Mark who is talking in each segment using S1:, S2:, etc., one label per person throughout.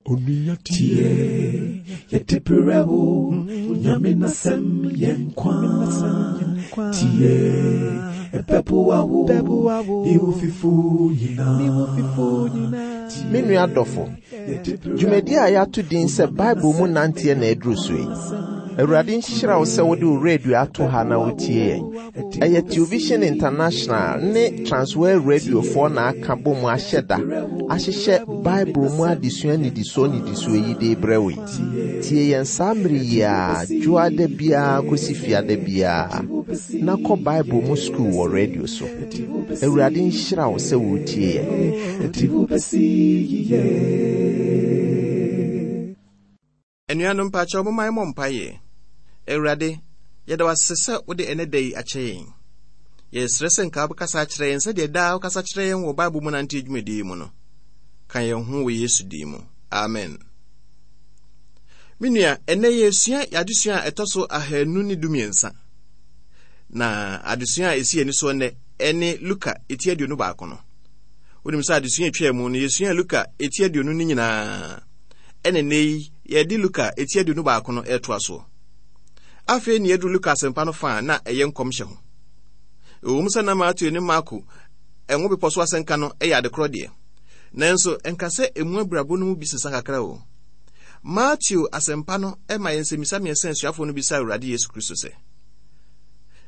S1: Tie, yɛde brɛ wo, Nyame n'asɛm yɛ nkwa. Tie, ɛbɛboa wo, ne wo fifo nyinaa.
S2: Me nua dɔfo, dwumadi a yɛato din sɛ Bible mu nanteɛ na aduru so yi. Awurade nhyira wo sɛ wode wo radio ato ha na wotie yɛn. Ɛyɛ Television International ne Transworld Radiofoɔ na aka bɔ mu ahyɛ da ahyehyɛ Bible mu adesua nnidisoɔ nnidisoɔ yi de rebrɛ wo yi. Tie yɛn saa mmere yi ara, dwoada biara kɔsi fiada biara, na kɔ Bible mu sukuu wɔ radio so. Awurade nhyira wo sɛ woretie yɛn.
S3: Anuanom mpakyɛw momma yɛmmɔ mpaeɛ. Awurade, yɛda wo ase sɛ wode ɛnɛ da yi akyɛ yɛn. Yɛsrɛ sɛ nka wobɛkasa akyerɛ yɛn sɛdeɛ daa wokasa kyerɛ yɛn wɔ Bible mu nante dwumadie yi mu no. Ka yɛn ho wɔ Yesu din mu. Amen. Me nua, ɛnɛ yɛresua adesua a ɛtɔ so ahanu ne dumiɛnsa. Na adesua a ɛsi ani soɔ nnɛ ɛne Luka eti 21 no. Wonim sɛ adesua atwaa mu no yɛsua Luka eti 20 no nyinaa. Ɛna nnɛ yi yɛde Luka eti 21 no retoa soɔ. Afei ne yɛduru Luka asɛmpa no fa a na ɛyɛ nkɔmhyɛ ho. Ɛwom sɛ na Mateo ne Marko Ngo Bepɔ so asɛnka no yɛ adekorɔ deɛ, nanso ɛnka sɛ emu abirabɔ no mu bi sesa kakra o. Mateo asɛmpa no ma yɛn nsɛmmisa mmiɛnsa asuafoɔ no bisaa Awurade Yesu Kristo sɛ,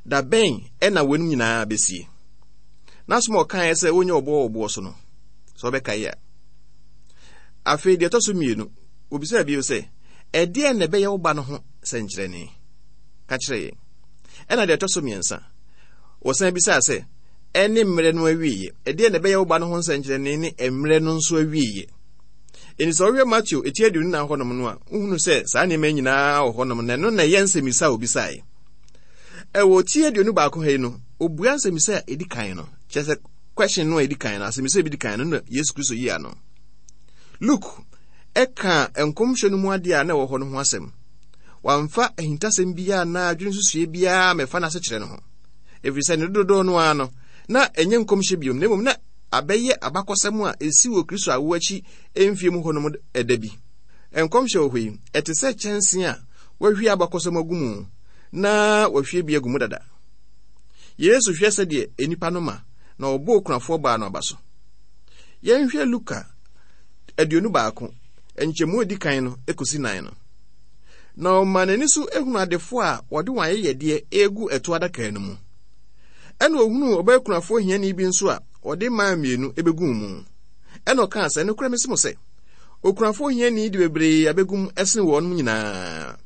S3: Da bɛn na weinom nyinaa bɛsie? N'asɛm a ɔkaeɛ sɛ wonyɛ ɔboɔ wɔ boɔ so no, sɛ ɔbɛkae a. Afei deɛ ɛtɔ so mmienu, obisaa bio sɛ, Ɛdeɛn na ɛbɛyɛ wo ba no ho sɛnkyerɛnne? Ka kyerɛ yɛn. Ɛna deɛ ɛtɔ so mmiɛnsa, wɔsan bisaa sɛ, Ɛne mmerɛ no awieeɛ? Ɛdeɛn na ɛbɛyɛ wo ba no ho nsɛnkyerɛnne ne mmerɛ no nso awieeɛ? Enti sɛ wohwɛ Mateo eti 24 hɔnom no a, wohunu sɛ saa nneɛma nyinaa wɔ hɔnom na ɛno na ɛyɛ nsɛmmisa a obisaeɛ. Ɛwɔ ti 21 ha yi no, obua nsɛmmisa a ɛdi kan no, kyerɛ sɛ question no a ɛdi kan no, asɛmmisa bi di kan no na Yesu Kristo yi ano. Luke ɛka nkɔmhyɛ no mu adeɛ a na ɛwɔ hɔ no ho asɛm. Wamfa ahintasɛm biara anaa adwene nsusuiɛ biara mɛfa n'asekyerɛ no ho. Ɛfiri sɛ ne dodoɔ no ara no, na ɛnyɛ nkɔmhyɛ biom, na mmom na abɛyɛ abakɔsɛm a ɛsi wɔ Kristo awo akyi mfie mu hɔnom ɛda bi. Nkɔmhyɛ wɔ hɔ yi, ɛte sɛ kyɛnse a wɔahwie abakɔsɛm agu mu na wɔahwie bi agu mu dada. Yesu hwɛ sɛdeɛ nnipa no ma na ɔbɔ okunafoɔ baa no aba so. Yɛnhwɛ Luka 21, nkyɛmu edi kan no ekosi nan no. Na ɔma n'ani so ehunu adefoɔ a wɔde wɔn ayɛyɛdeɛ egu ɛto adaka no mu. Ɛna ohunuu ɔbaa kunafoɔ hiani bi nso a ɔde mmaa mmienu ebeguu mu. Ɛna ɔkaa sɛ, nokorɛ mese mo sɛ, okunafoɔ hiani de bebree abegu mu ɛsene wɔnom nyinaa.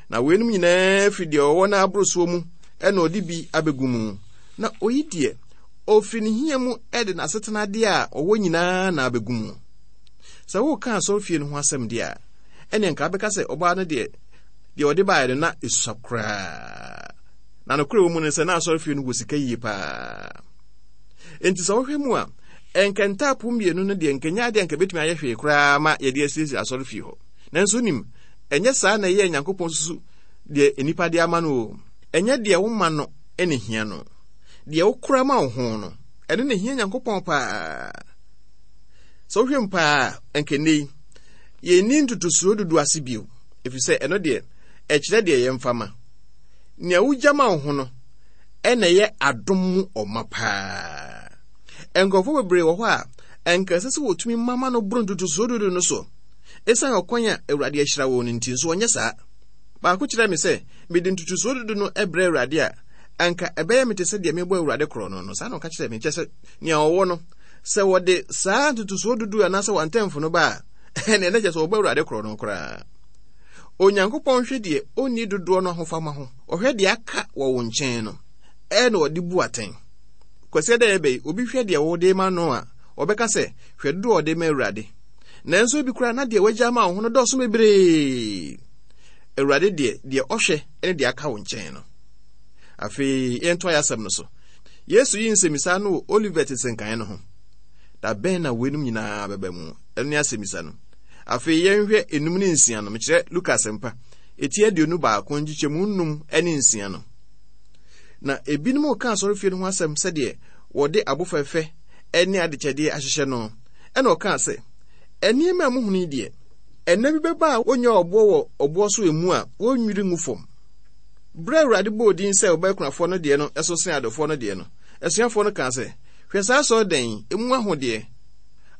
S3: Na weinom nyinaa firi deɛ ɔwɔ no aborosoɔ mu ɛna ɔde bi abegu mu. Na oyi deɛ, ɔfiri ne hia mu de n'asetenadeɛ a ɔwɔ nyinaa na abɛgu mu. Sɛ woreka asɔrefie no ho asɛm deɛ a, ɛnneɛ nka wobɛka sɛ ɔbaa no deɛ, deɛ ɔde baeɛ no na ɛsua koraa. Na nokorɛ wɔ mu no sɛ na asɔrefie no wɔ sika yie paa. Enti sɛ wohwɛ mu a, ɛnka ntaapo mmienu no deɛ nka nyɛ adeɛ nka bɛtumi ayɛ hwee koraa ma yɛde asiesie asɔrefie hɔ. Nanso wonim, ɛnyɛ saa na ɛyɛɛ Nyankopɔn susu deɛ nnipa de ama no o. Ɛnyɛ deɛ woma no na ehia no. Deɛ wokora ma wo ho no, ɛno na ehia Nyankopɔn paa. Sɛ wohwɛ mu paa a, anka nnɛ yi, yɛnni ntotosoɔ dudu ase bio, ɛfiri sɛ ɛno deɛ, ɛkyerɛ deɛ yɛmfa ma. Nea wogya ma wo ho no, ɛna ɛyɛ adom mu ɔma paa. Nkurɔfoɔ bebree wɔ hɔ a, ɛnka ɛsɛ sɛ wɔtumi ma ma no boro ntotosoɔ dudu no so. Ɛsiane ɔkwan a Awurade ahyira wɔn no nti nso wɔnyɛ saa. Baako kyerɛɛ me sɛ, mede ntotosoɔ dudu no brɛ Awurade a, anka ɛbɛyɛ me te sɛ deɛ mebɔ Awurade korɔ no no. Saa na ɔka kyerɛɛ me. Kyerɛ sɛ, nea ɔwɔ no, sɛ wɔde saa ntotosoɔ dudu anaasɛ wɔn no ba a, ɛnneɛ na kyerɛ sɛ wɔbɔ Awurade korɔ no koraa. Onyankopɔn hwɛ deɛ ɔnni dodoɔ no ahofama ho. Ɔhwɛ deɛ aka wɔ wo nkyɛn no, ɛna ɔde bu atɛn. Kwasiada yɛ bɛyi, obi hwɛ deɛ wode ma no a, ɔbɛka sɛ, hwɛ dodoɔ a ɔde ma Awurade. Nanso ebi koraa na deɛ wagya ama wo ho no dɔɔso bebree. Awurade deɛ, deɛ ɔhwɛ ne deɛ aka wo nkyɛn no. Afei yɛntoa yɛn asɛm no so. Yesu yi nsɛmmisa no wɔ Olivet nsɛnkaeɛ no ho. Da bɛn na weinom nyinaa bɛba mu? Ɛno ne asɛmmisa no. Afei yɛnhwɛ enum ne nsia no, mekyerɛ Luka asɛmpa, eti 21 nkyekyɛmu num ne nsia no. Na ebinom reka asɔrefie no ho asɛm sɛdeɛ wɔde abo fɛfɛ ne adekyɛdeɛ ahyehyɛ no. Ɛna ɔkaa sɛ, nneɛma a muhunu yi deɛ, Ɛnna bi bɛba a wonnya ɔboɔ wɔ ɔboɔ so emu a wonnwiri ngu fam. Berɛ a Awurade bɔɔ din sɛ ɔbaa kunafoɔ no deɛ no so sen adɔfoɔ no deɛ no, asuafoɔ no kaa sɛ, Hwɛ saa asɔredan yi, emu ahodeɛ!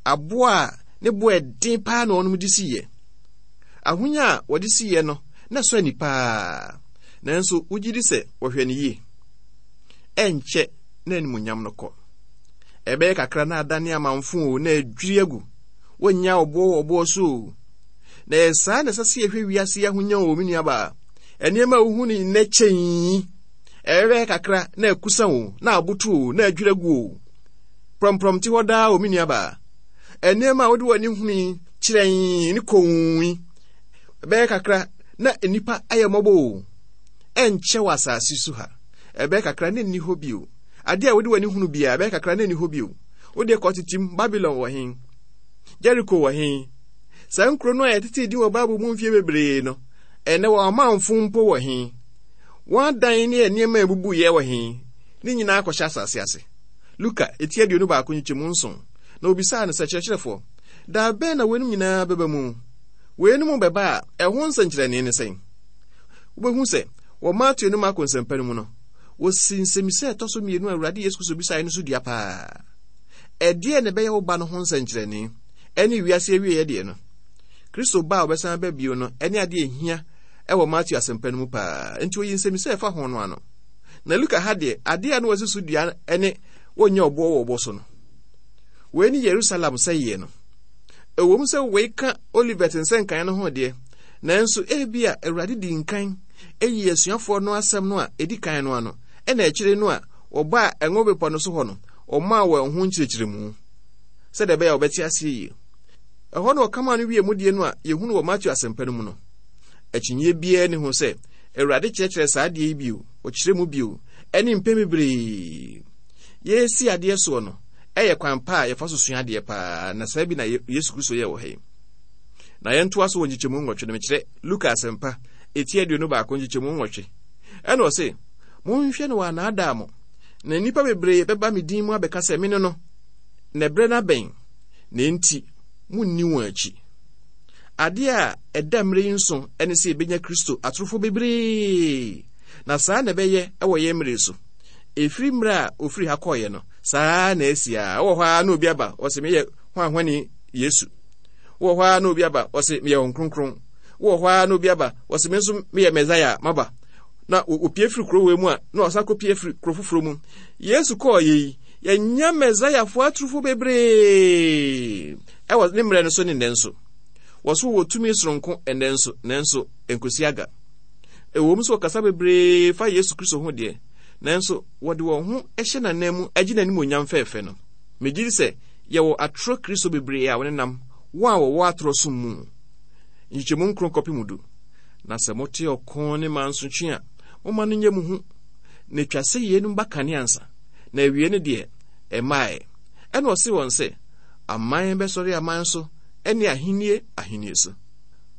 S3: Aboɔ a ne bo yɛ den paa na wɔnom de siiɛ. Ahonya a wɔde siiɛ no, na ɛsɔ ani paa. Nanso wogye di sɛ wɔhwɛ no yie? Ɛnkyɛ na animuonyam no kɔ. Ɛbɛyɛ kakra na adane amamfo o, na adwiri agu. Wonnya ɔboɔ wɔ ɔboɔ so o. Na ɛyɛ saa na ɛsɛ sɛ yɛhwɛ wiase yi ahonya o, me nuabaa. Nneɛma a wohu no nnɛ kyɛn yi, ɛbɛyɛ kakra na akusa o, na aboto o, na adwiri agu o. Prɔmprɔm te hɔ daa o, me nuabaa. Nneɛma a wode w'ani hunu yi kyerɛn ne komm yi, ɛbɛyɛ kakra na nnipa ayɛ mmɔbɔ o. Ɛnkyɛ wɔ asase so ha. Ɛbɛyɛ kakra na ɛnni hɔ bio. Adeɛ a wode w'ani hunu biara, ɛbɛyɛ kakra na ɛnni hɔ bio. Wo deɛ kɔ tetem, Babilon wɔ he? Jeriko wɔ he? Saa nkuro no a yɛtetee din wɔ Bible mu mfeɛ bebree no, ɛnnɛ wɔn amamfo mpo wɔ he? Wɔn adan ne nneɛma a ebubuiɛ wɔ he? Ne nyinaa akɔhyɛ asase ase. Luka, eti 21 nkyekyɛmu nson, Na obisaa no sɛ, Kyerɛkyerɛfoɔ, da bɛn na weinom nyinaa bɛba mu? Weinom bɛba a, ɛho nsɛnkyerɛnne ne sɛn? Wobɛhu sɛ wɔ Mateo ne Marko nsɛmpa no mu no, wɔsi nsɛmmisa a ɛtɔ so mmienu a Awurade Yesu Kristo bisaeɛ no so dua paa. Ɛdeɛn na ɛbɛyɛ wo ba no ho nsɛnkyerɛnne ɛne wiase awieeɛ deɛ no? Kristo ba a ɔbɛsan aba bio no ɛne adeɛ ɛhia ɛwɔ Mateo asɛmpa no mu paa. Enti oyi nsɛmmisa a ɛfa ho no ano. Na Luka ha deɛ, adeɛ a na wɔasi so dua ɛne wɔnyɛ ɔboɔ wɔ ɔboɔ so no. Wei ne Yerusalem sɛeɛ no. Ɛwom sɛ wei ka Olivet nsɛnkaeɛ no ho deɛ, nanso ebia Awurade dii nkan yii asuafoɔ no asɛm no a ɛdi kan no ano, ɛna akyire no a wɔbaa Ngo Bepɔ no so hɔ no, ɔmaa wɔn ho nkyerɛkyerɛmu, sɛdeɛ ɛbɛyɛ a wɔbɛte aseɛ yie. Ɛhɔ na ɔkamaa no wie mudie no a yɛhunu wɔ Mateo Asɛmpa no mu no. Akyinnyeɛ biara nni ho sɛ Awurade kyerɛkyerɛɛ saa adeɛ yi bio, ɔkyerɛ mu bio, ɛne mpɛn bebree. Yɛresi adeɛ soɔ no, ɛyɛ kwan pa a yɛfa so sua adeɛ paa, na saa bi na Yesu Kristo yɛɛ wɔ ha yi. Na yɛntoa so wɔ nkyekyɛmu nwɔtwe no, mekyerɛ Luka Asɛmpa, eti 21 nkyekyɛmu nwɔtwe. Ɛna ɔse, Monhwɛ na wɔannaadaa mo, na nnipa bebree bɛba me din mu abɛka sɛ, Mene no, na ɛberɛ no abɛn, na enti monni wɔn akyi. Adeɛ a ɛda mmerɛ yi nso ne sɛ yɛbɛnya Kristo atorofoɔ bebree, na saa na ɛbɛyɛ wɔ yɛn mmerɛ so. Ɛfiri mmerɛ a ɔfiri ha kɔeɛ no, saa na asi a. Wɔ hɔ ara na obi aba, ɔse meyɛ hwanhwani Yesu. Wɔ hɔ ara na obi aba, ɔse meyɛ Honhom Kronkron. Wɔ hɔ ara na obi aba, ɔse me nso meyɛ Mɛsaia, maba. Na opie firi kuro wei mu a, na ɔsan kɔpie firi kuro foforɔ mu. Yesu kɔɔ yɛ yi, yɛnya Mɛsaiafoɔ aturufo bebree ɛwɔ ne mmerɛ no so ne nnɛ nso. Wɔso wɔ tumi soronko ɛnnɛ nso, nanso ɛnkɔsi aga. Ɛwom sɛ wɔkasa bebree fa Yesu Kristo ho deɛ, nanso wɔde wɔn ho hyɛ n'ananmu gye n'animuonyam fɛɛfɛ no. Megye di sɛ yɛwɔ atorɔ Kristo bebree a wɔnenam wɔn a wɔwɔ atorɔ som mu. Nkyekyɛmu nkron kɔpem du. Na sɛ mote ɔko ne mansotwe a, momma no nyɛ mo hu. Na etwa sɛ yeinom ba kane ansa, na awiei no deɛ, ɛmmaeɛ. Ɛnna ɔsee wɔn sɛ, Aman bɛsɔre aman so, ne ahennie ahennie so.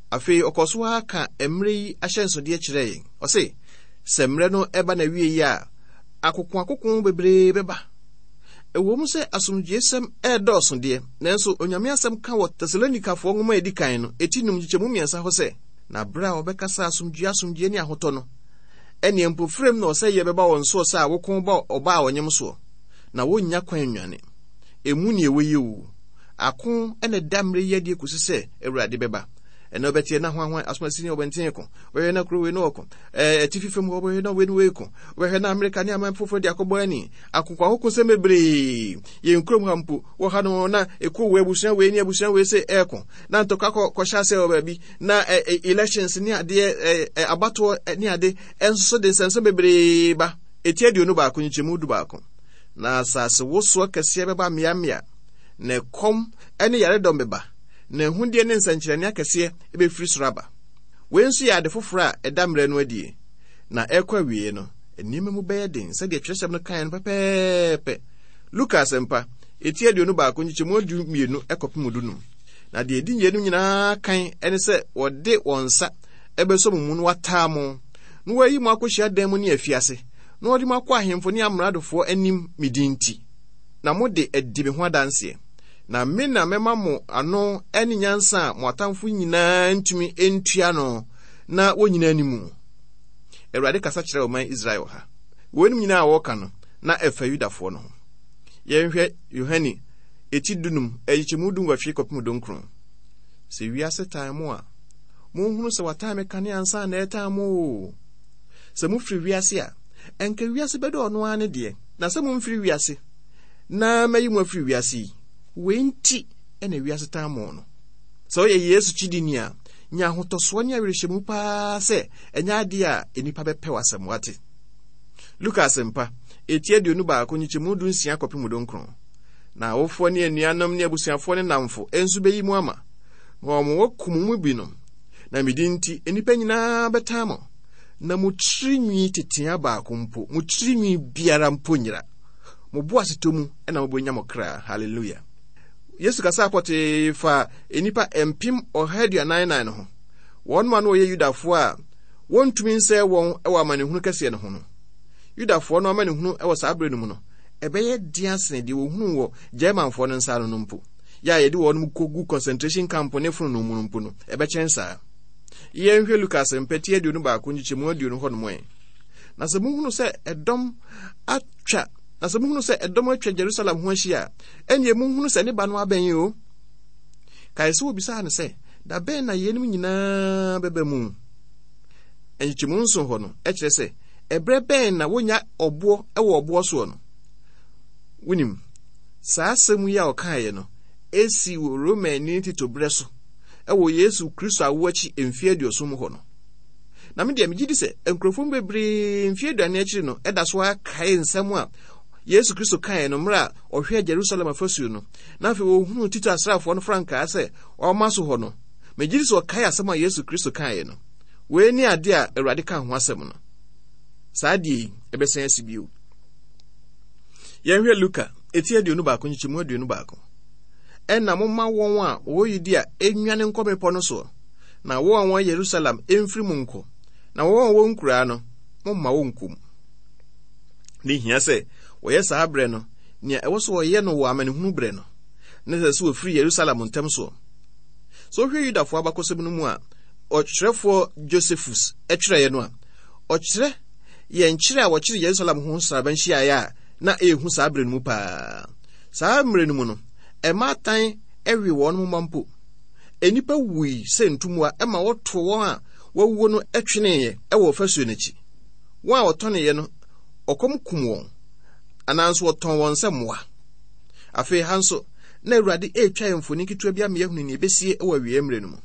S3: Afei ɔkɔɔ so ara ka mmerɛ yi ahyɛnsodeɛ kyerɛɛ yɛn. Ɔse, sɛ mmerɛ no ba n'awieeɛ a, akokoakoko bebree bɛba. Ɛwom sɛ asomdwoesɛm redɔɔso deɛ, nanso Onyame asɛm ka wɔ Tesalonikafoɔ nwoma a ɛdi kan no, eti num nkyekyɛmu mmiɛnsa hɔ sɛ, Na berɛ a wɔbɛkasa asomdwoeɛ asomdwoeɛ ne ahotɔ no, ɛnneɛ mpofirim na ɔsɛeɛ bɛba wɔn soɔ sɛ awoko ba ɔbaa a ɔnyem soɔ, na wɔnnya kwan nnwane. Emu ne ɛwɔ yi oo. Ako na ɛda mmerɛ yi adie kɔsi sɛ Awurade bɛba. Ɛnna wobɛteɛ na hwanhwan asomasi ne ɔbɛnten ko, wobɛhwɛ na kuro wei ne ɔko, ɛɛ atifi fam hɔ wobɛhwɛ na wei ne wei ko, wobɛhwɛ na Amerika ne aman foforɔ de akɔbɔ ani. Akokoakokosɛm bebree. Yɛn kurom ha mpo, wɔ ha no na ekuo wei abusua wei ne abusua wei sɛ ɛɛko, na ntɔkwa kɔ kɔhyɛ ase wɔ baabi, na ɛ ɛ elections ne adeɛ ɛ ɛ abatoɔ ne ade nso so de nsɛmsɛm bebree ba. Eti 21 nkyekyɛmu 11. Na asase wosoɔ kɛseɛ bɛba mmeammea, na ɛkɔm ne yaredɔm bɛba, na ahudeɛ ne nsɛnkyerɛnne akɛseɛ bɛfiri soro aba. Wei nso yɛ ade foforɔ a ɛda mmerɛ no adie, na ɛrekɔ awieeɛ no, nneɛma mu bɛyɛ den sɛdeɛ twerɛsɛm no kaeɛ no pɛpɛɛpɛ. Luka Asɛmpa, eti 21 nkyekyɛmu 12 kɔpem 15. Na deɛ ɛdi yeinom nyinaa kan ne sɛ wɔde wɔn nsa bɛsɔ mo mu na wɔataa mo, na wɔayi mo akɔ hyiadan mu ne afiase, na wɔde mo akɔ ahemfo ne amradofoɔ anim me din nti, na mode adi me ho adanseɛ. Na me na mɛma mo ano ne nyansa a mo atamfo nyinaa ntumi ntua no na wonnyina anim. Awurade kasa kyerɛ ɔman Israel wɔ ha. Weinom nyinaa a wɔreka no, na ɛfa Yudafoɔ no ho. Yɛnhwɛ Yohane eti dunum, nkyekyɛmu dunwɔtwe kɔpem dunkron. Sɛ wiase tan mo a, monhunu sɛ watan me kane ansa na ɛretan mo o. Sɛ mofiri wiase a, ɛnka wiase bɛdɔ ɔno ara ne deɛ. Na sɛ momfiri wiase, na mayi mo afiri wiase yi, wei nti na wiase tan mo no. Sɛ woyɛ Yesu kyidini a, nya ahotɔsoɔ ne awerɛhyɛmu paa sɛ ɛnyɛ adeɛ a nnipa bɛpɛ w'asɛm, wate? Luka Asɛmpa, eti 21 nkyekyɛmu 16 kɔpem 19. Na awofoɔ ne anuanom ne abusuafoɔ ne nnamfo nso bɛyi mo ama, na wɔn wɔakum mo mu binom. Na me din nti, nnipa nyinaa bɛtan mo. Na mo tiri nwi tetea baako mpo, mo tiri nwi biara mpo nyera. Mo boasetɔ mu na mobɛnya mo kra. Hallelujah. Yesu kasaa pɔtee fa nnipa 144,000 no ho, wɔn a na wɔyɛ Yudafoɔ a wɔntumi nsɛe wɔn wɔ amanehunu kɛseɛ no ho no. Yudafoɔ no amanehunu wɔ saa berɛ no mu no, ɛbɛyɛ den asene deɛ wɔhunuu wɔ Germanfoɔ no nsa ano no mpo. Yɛ a yɛde wɔn kɔgu concentration camp ne fononoo mu no mpo no, ɛbɛkyɛn saa. Yɛnhwɛ Luka Asɛmpa ti 21 nkyekyɛmu 20 hɔnom ɛ. Na sɛ mohunu sɛ ɛdɔm atwa na sɛ mohunu sɛ ɛdɔm atwa Jerusalem ho ahyia a, ɛnneɛ monhunu sɛ ne ba no abɛn o. Kae sɛ wɔbisaa no sɛ, da bɛn na yeinom nyinaa bɛba mu? Nkyekyɛmu nson hɔ no, ɛkyerɛ sɛ ɛberɛ bɛn na wonya ɔboɔ wɔ ɔboɔ soɔ no? Wonim, saa asɛm yi a ɔkaeɛ no, ɛsii wɔ Romani Tito berɛ so wɔ Yesu Kristo awo akyi mfeɛ aduɔson mu hɔ no. Na me deɛ megye di sɛ nkurɔfoɔ mu bebree mfeɛ aduane akyiri no ɛda so ara kae nsɛm a Yesu Kristo kaeɛ no mmerɛ a ɔhwɛɛ Jerusalem afasuo no, na afei ɔhunuu Tito asraafoɔ no frankaa sɛ ɔrema so hɔ no. Megye di sɛ ɔkae asɛm a Yesu Kristo kaeɛ no. Wei ne adeɛ a Awurade ka ho asɛm no. Saa adeɛ yi, ɛbɛsan asi bio. Yɛnhwɛ Luka, eti 21 nkyekyɛmu 21. Ɛnna momma wɔn a wɔwɔ Yudea nnwane nkɔ mmepɔ no soɔ, na wɔn a wɔwɔ Yerusalem mfiri mu nkɔ, na wɔn a wɔwɔ nkuraa no, momma wɔnkɔ mu. Ne hia sɛ wɔyɛ saa berɛ no nea ɛwɔ sɛ wɔyɛ no wɔ amanehunu berɛ no, na ɛsɛ sɛ wɔfiri Yerusalem ntɛm soɔ. Sɛ wohwɛ Yudafoɔ abakɔsɛm no mu a ɔtwerɛfoɔ Josephus twerɛeɛ no a, ɔkyerɛ yɛn kyerɛ a wɔkyere Yerusalem ho nsraban hyiaeɛ a na ɛyɛ hu saa berɛ no mu paa. Saa mmerɛ no mu no, mmaatan we wɔn mma mpo. Nnipa wui sɛ ntummoa ma wɔtoo wɔn a wɔawuo no tweneeɛ wɔ ɔfasuo no akyi. Wɔn a wɔtɔneeɛ no, ɔkɔm kum wɔn, anaa nso wɔtɔn wɔn sɛ mmoa. Afei ha nso, na Awurade retwa yɛn mfoni ketewa bi ama yɛahunu nea ebesie wɔ awiei mmerɛ no mu.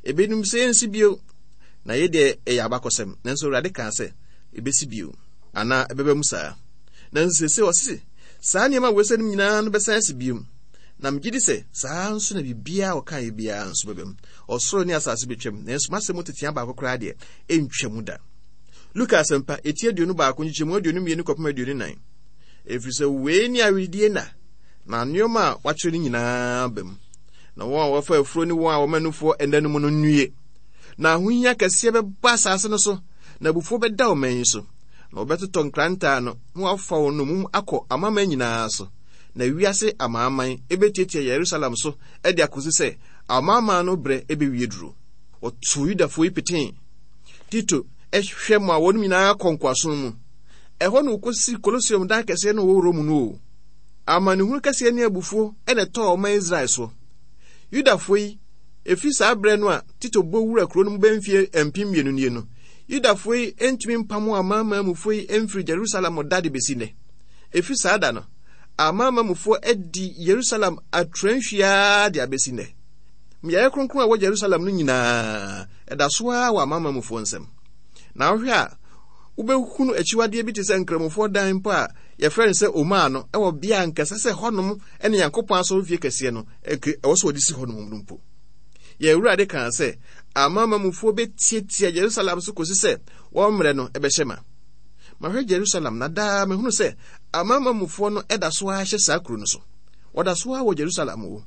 S3: Ebinom sɛ yɛnsi bio, na yei deɛ ɛyɛ abakɔsɛm, nanso Awurade kaa sɛ ebesi bio, anaa ɛbɛba mu saa. Nanso seesei ɔse saa nneɛma a wɔasiane nyinaa no bɛsan asi bio. Na megye di sɛ saa nso na biribiara a ɔkaeɛ biara nso bɛba mu. Ɔsoro ne asase bɛtwam, nanso m'asɛm mu tetea baako koraa deɛ, ɛntwa mu da. Luka Asɛmpa, eti 21, nkyekyɛmu 22 kɔpem 24. Ɛfiri sɛ wei ne aweredie nna, na nneɛma a wɔakyerɛ no nyinaa ba mu. Na wɔn a wɔfa afuro ne wɔn a wɔma nufoɔ nna no mu no nnue. Na ahohia kɛseɛ bɛba asase no so, na abufuo bɛda ɔman yi so. Na wɔbɛtotɔ nkrantɛ ano, na wɔafa wɔn nnommum akɔ amanaman nyinaa so. Na wiase amanaman bɛtiatia Yerusalem so de akɔsi sɛ amanaman no berɛ bɛwie duro. Wɔtoo Yudafoɔ yi petee. Tito hwɛ ma wɔn nyinaa kɔ nkoasom mu. Ɛhɔ na wɔkɔsi Kolosium dan kɛseɛ no wɔ Rome no o. Amanehunu kɛseɛ ne abufuo na ɛtɔɔ ɔman Israel so. Yudafoɔ yi, ɛfiri saa berɛ no a Tito bɔ wura kuro no mu bɛyɛ mfeɛ 2000 nie no, Yudafoɔ yi ntumi mpamo amanaman mufoɔ yi mfiri Jerusalem da de bɛsi nnɛ. Ɛfiri saa da no, amanaman mufoɔ adi Yerusalem atrantwie ara de abɛsi nnɛ. Mmeaeɛ kronkron a ɛwɔ Jerusalem no nyinaa, ɛda so ara wɔ amanaman mufoɔ nsam. Na wohwɛ a, wobɛhunu akyiwadeɛ bi te sɛ nkramofoɔ dan mpo a yɛfrɛ no sɛ Omaa no wɔ bea a nka ɛsɛ sɛ hɔnom ne Nyankopɔn asɔrefie kɛseɛ no ɛwɔ sɛ wɔde si hɔnom no mpo. Yɛn Awurade kaa sɛ amanamanmufoɔ bɛtiatia Yerusalem so kɔsi sɛ wɔn mmerɛ no bɛhyɛ ma. Mahwɛ Jerusalem na daa mehunu sɛ amanamanmufoɔ no da so ara hyɛ saa kuro no so. Wɔda so ara wɔ Jerusalem o.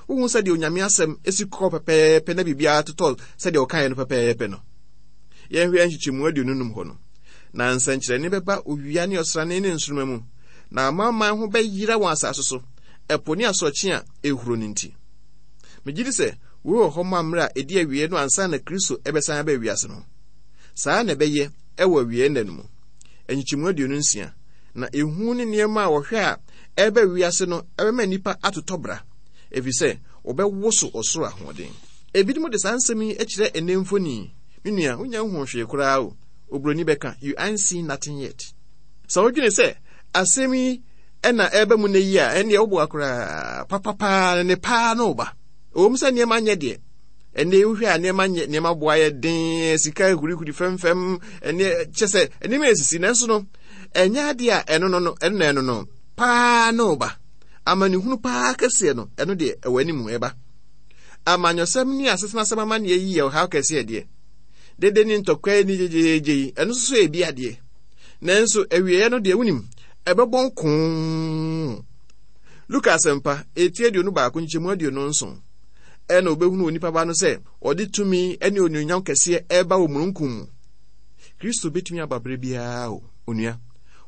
S3: Wohu sɛdeɛ Onyame asɛm si kɔ pɛpɛɛpɛ na biribiara totɔ sɛdeɛ ɔkaeɛ no pɛpɛɛpɛ no. Yɛnhwɛ nkyekyɛmu 25 hɔ no. Na nsɛnkyerɛnne bɛba owia ne ɔsrane ne nsoromma mu, na amanaman ho bɛyera wɔn asase so. Ɛpo ne asorɔkye a ɛrehuro no nti. Megye di sɛ wei wɔ hɔ ma mmerɛ a ɛdi awieɛ no ansa na Kristo bɛsan aba wiase no. Saa na ɛbɛyɛ wɔ awieɛ nna no mu. Nkyekyɛmu 26, Na ehu ne nneɛma a wɔhwɛ a ɛreba wiase no bɛma nnipa atotɔ bra, ɛfiri sɛ wɔbɛwoso ɔsoro ahoɔden. Ebinom de saa nsɛm yi kyerɛ ɛnnɛ mfoni yi. Me nua, wonnya nhuu hwee koraa o. Oburoni bɛka, You ain't seen nothing yet. Sɛ wodwene sɛ asɛm yi na ɛreba mu nnɛ yi a, ɛnneɛ woboa koraa. Papapaa ne ne paa no reba. Ɛwom sɛ nneɛma nyɛ deɛ, ɛnne wohwɛ a nneɛma nyɛ, nneɛma boa yɛ den, sika hurihuri fɛmfɛm, ɛnne kyɛ sɛ nneɛma esisi, nanso no, ɛnyɛ adeɛ a ɛno no no, ɛno na ɛno no paa no reba. Amanehunu paa kɛseɛ no, ɛno deɛ ɛwɔ anim ɛba. Amanyɔsɛm ne asetenasɛm amanneɛ yi yɛ ɔhaw kɛseɛ deɛ. Dede ne ntɔkwa ne gyegyeegye yi, ɛno nso so yɛ bi adeɛ. Nanso awieeɛ no deɛ wonim, ɛbɛbɔ nkoo. Luka Asɛmpa, eti 21 nkyɛmu 27, ɛna obɛhunu onipa ba no sɛ ɔde tumi ne onuonyam kɛseɛ ɛreba wɔ mununkum mu. Kristo bɛtumi aba berɛ biara o, onua.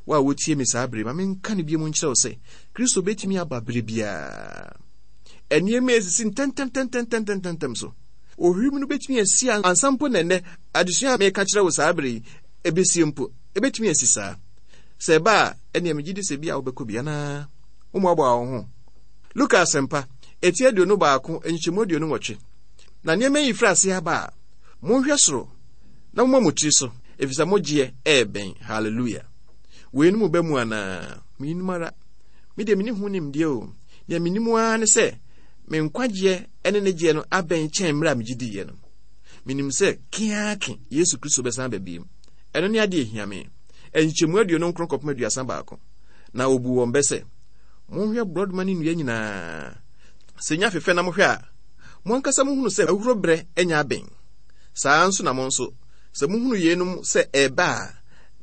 S3: Wo a wotie me saa bere, ma menka no bio mu nkyerɛ wo sɛ, Kristo bɛtumi aba berɛ biara. Nneɛma esisi ntɛmntɛmntɛmntɛmntɛm so. Ohwim no bɛtumi asi ansa mpo na ɛnnɛ adesua a meka kyerɛ wo saa bere yi ɛbɛsie mpo. Ɛbɛtumi asi saa. Sɛ ɛba a, ɛnneɛ megye di sɛ bi a wobɛkɔ bi anaa? Wommoaboa wo ho. Luka Asɛmpa, eti 21, nkyekyɛmu 28. Na nneɛma yi firi aseɛ aba a, monhwɛ soro na momma mo tiri so, ɛfiri sɛ mo gyeɛ ɛrebɛn. Hallelujah. Weinom ba mu anaa? Mennim ara. Me deɛ menni ho nimdeɛ o. Deɛ menim ara ne sɛ me nkwagyeɛ ne ne gyeɛ no abɛn kyɛn mmerɛ a megye diiɛ no. Menim sɛ keake Yesu Kristo bɛsan aba bio. Ɛno ne adeɛ ɛhia me. Nkyekyɛmu 29 kɔpem 31. Na ɔbuu wɔn bɛ sɛ, Monhwɛ borɔdoma ne nnua nyinaa. Sɛ nya fefɛ na mohwɛ a, mo ankasa mohunu sɛ ahuhuro berɛ anya abɛn. Saa ara nso na mo nso, sɛ mohunu yeinom sɛ ɛreba a,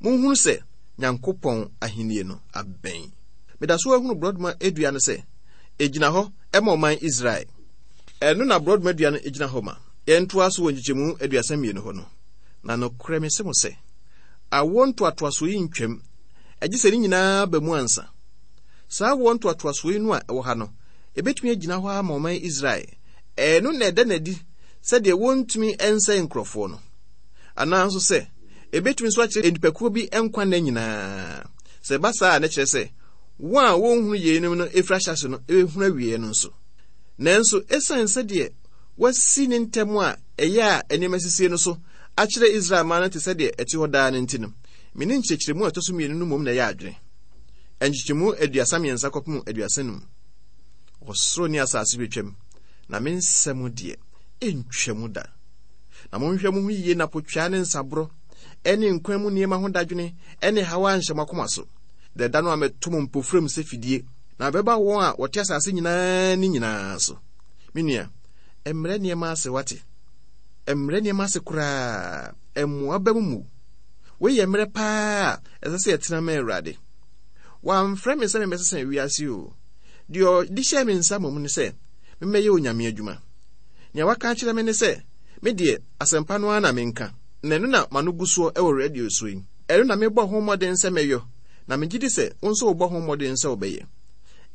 S3: monhunu sɛ Nyankopɔn ahennie no abɛn. Meda so ara hunu borɔdoma dua no sɛ ɛgyina hɔ ma ɔman Israel. Ɛno na borɔdoma dua no gyina hɔ ma. Yɛntoa so wɔ nkyekyɛmu 32 hɔ no. Na nokorɛ mese mo sɛ, awoɔ ntoatoasoɔ yi ntwam, agye sɛ ne nyinaa ba mu ansa. Saa awoɔ ntoatoasoɔ yi no a ɛwɔ ha no, ɛbɛtumi agyina hɔ ara ma ɔman Israel. Ɛno na ɛda no adi sɛdeɛ wɔntumi nsɛe nkurɔfoɔ no. Anaa nso sɛ, ɛbɛtumi nso akyerɛ nnipakuo bi nkwa nna nyinaa. Sɛ ɛba saa a, na kyerɛ sɛ wɔn a wɔnhunu yeinom no ɛfiri ahyɛase no bɛhunu awieɛ no nso. Nanso ɛsiane sɛdeɛ wɔasi ne ntɛm a ɛyɛ a nneɛma sisie no so akyerɛ Israel man no te sɛ deɛ ɛte hɔ daa no nti no, me ne nkyerɛkyerɛmu a ɛtɔ so mmienu no mmom na ɛyɛ adwene. Nkyekyɛmu 33 kɔpem 35. Ɔsoro ne asase bɛtwam, na me nsɛm deɛ, ɛntwam da. Na monhwɛ mo ho yiye na potwaa ne nsaborɔ ne nkwa mu nneɛma ho dadwene ne haw anhyɛ mo akoma so, da da no a mɛto mo mpofirim sɛ fidie, na ɛbɛba wɔn a wɔte asase nyinaa ani nyinaa so. Me nua, mmrɛ nneɛma ase, wate? Mmrɛ nneɛma ase koraa, mmoa ba mu mu. Wei yɛ mmerɛ paa a ɛsɛ sɛ yɛtena ma Awurade. Wamfrɛ me sɛ memmɛsesa wiase o. Deɛ ɔde hyɛɛ me nsa mmom ne sɛ memmɛyɛ Onyame adwuma. Nea waka akyerɛ me ne sɛ, me deɛ, asɛmpa no ara na menka, na ɛno na m'ano gu soɔ wɔ radio so yi. Ɛno na mebɔ ho mmɔden sɛ mɛyɔ, na megye di sɛ wo nso wobɔ ho mmɔden sɛ wobɛyɛ.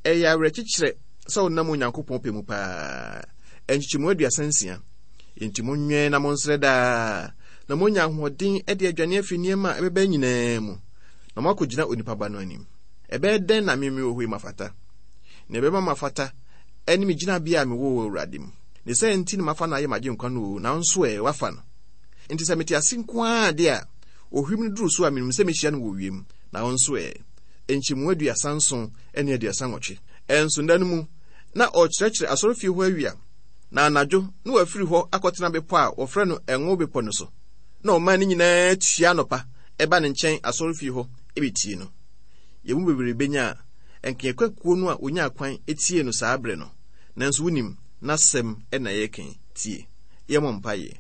S3: Ɛyɛ awerɛkyekyerɛ sɛ wonam Onyankopɔn pɛ mu paa. Nkyekyɛmu 36. Enti monwɛn na monsrɛ daa, na moanya ahoɔden de adwane afi nneɛma a ɛbɛba nyinaa mu, na moakɔgyina onipa Ba no anim. Ɛbɛyɛ dɛn na me mewɔ hɔ yi mafata? Nea ɛbɛma mafata ne me gyinabea a mewɔ wɔ Awurade mu. Ne saa nti na mafa no ayɛ m'agyenkwa no o, nanso ɛ, wafa no. Enti sɛ mete ase nko ara de a, ohwim no duru so a, minim sɛ mehyia no wɔ wiem. Na wo nso ɛ? Nkyɛmu 37 ne 38. Ɛnso nna no mu, na ɔrekyerɛkyerɛ asɔrefie hɔ awia, na anadwo na wafiri hɔ akɔtena bepɔ a wɔfrɛ no Ngo Bepɔ no so. Na ɔman no nyinaa tua anɔpa ba ne nkyɛn asɔrefie hɔ betie no. Yɛn mu bebree benya a, ɛnka yɛkɔ akuo no a wɔnyaa kwan tiee no saa berɛ no. Nanso wonim, n'asɛm na yɛreka yi. Tie. Yɛmmɔ mpaeɛ.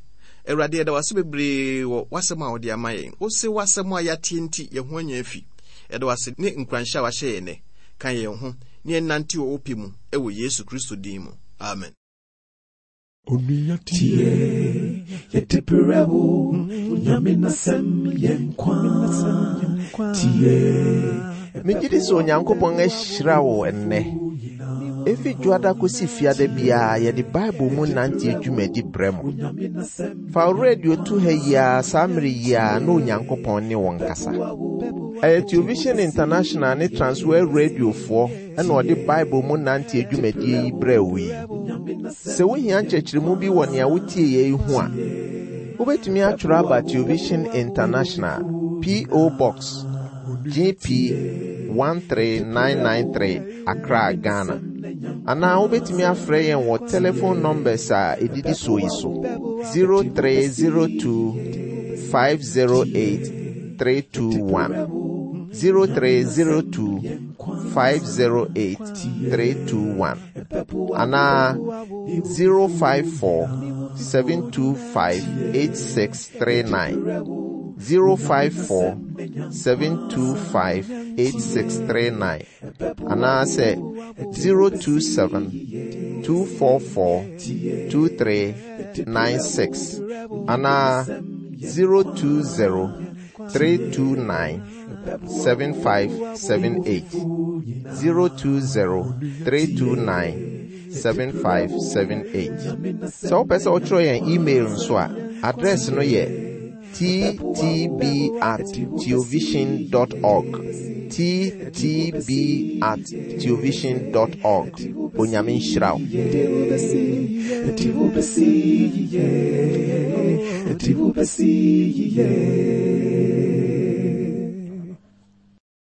S3: Awurade, yɛda wo ase bebree wɔ w'asɛm a wode ama yɛn. Wose w'asɛm a yɛateɛ nti, yɛn ho anya afi. Yɛda wo ase ne nkuranhyɛ a wahyɛ yɛn nnɛ. Ka yɛn ho na yɛnnante wɔ wo pɛ mu wɔ Yesu Kristo din mu. Amen.
S1: Onua tie, yɛde brɛ wo, Onyame n'asɛm yɛ nkwa. Tie.
S2: Megye di sɛ Onyankopɔn ahyira wo ɛnnɛ. Efi dwoada kosi fiada biara yɛde Bible mu nante dwumadi brɛ mo. Fa wo radio to ha yi ara saa mmere yi ara na Onyankopɔn ne wo nkasa. Ɛyɛ Television International ne Transworld Radiofoɔ ɛna ɔde Bible mu nante dwumadie yi brɛ wo yi. Sɛ wohia nkyerɛkyerɛmu bi wɔ nea wotie yɛ yi ho a, wobɛtumi atwerɛ aba Television International, P.O. Box, GP 13993, Accra, Ghana. Anaa wobɛtumi afrɛ yɛn wɔ telephone numbers a ɛdidi soɔ yi so 0302 508 321 0302 508 321 anaa 054 725 8639 054 725 8639 anaasɛ 027 244 2396 anaa 020 329 7578 020 329 7578. Sɛ wopɛ sɛ wotwerɛ yɛn email nso a, address no yɛ ttb at theovision dot org. ttb at theovision dot org. Onyame nhyira wo.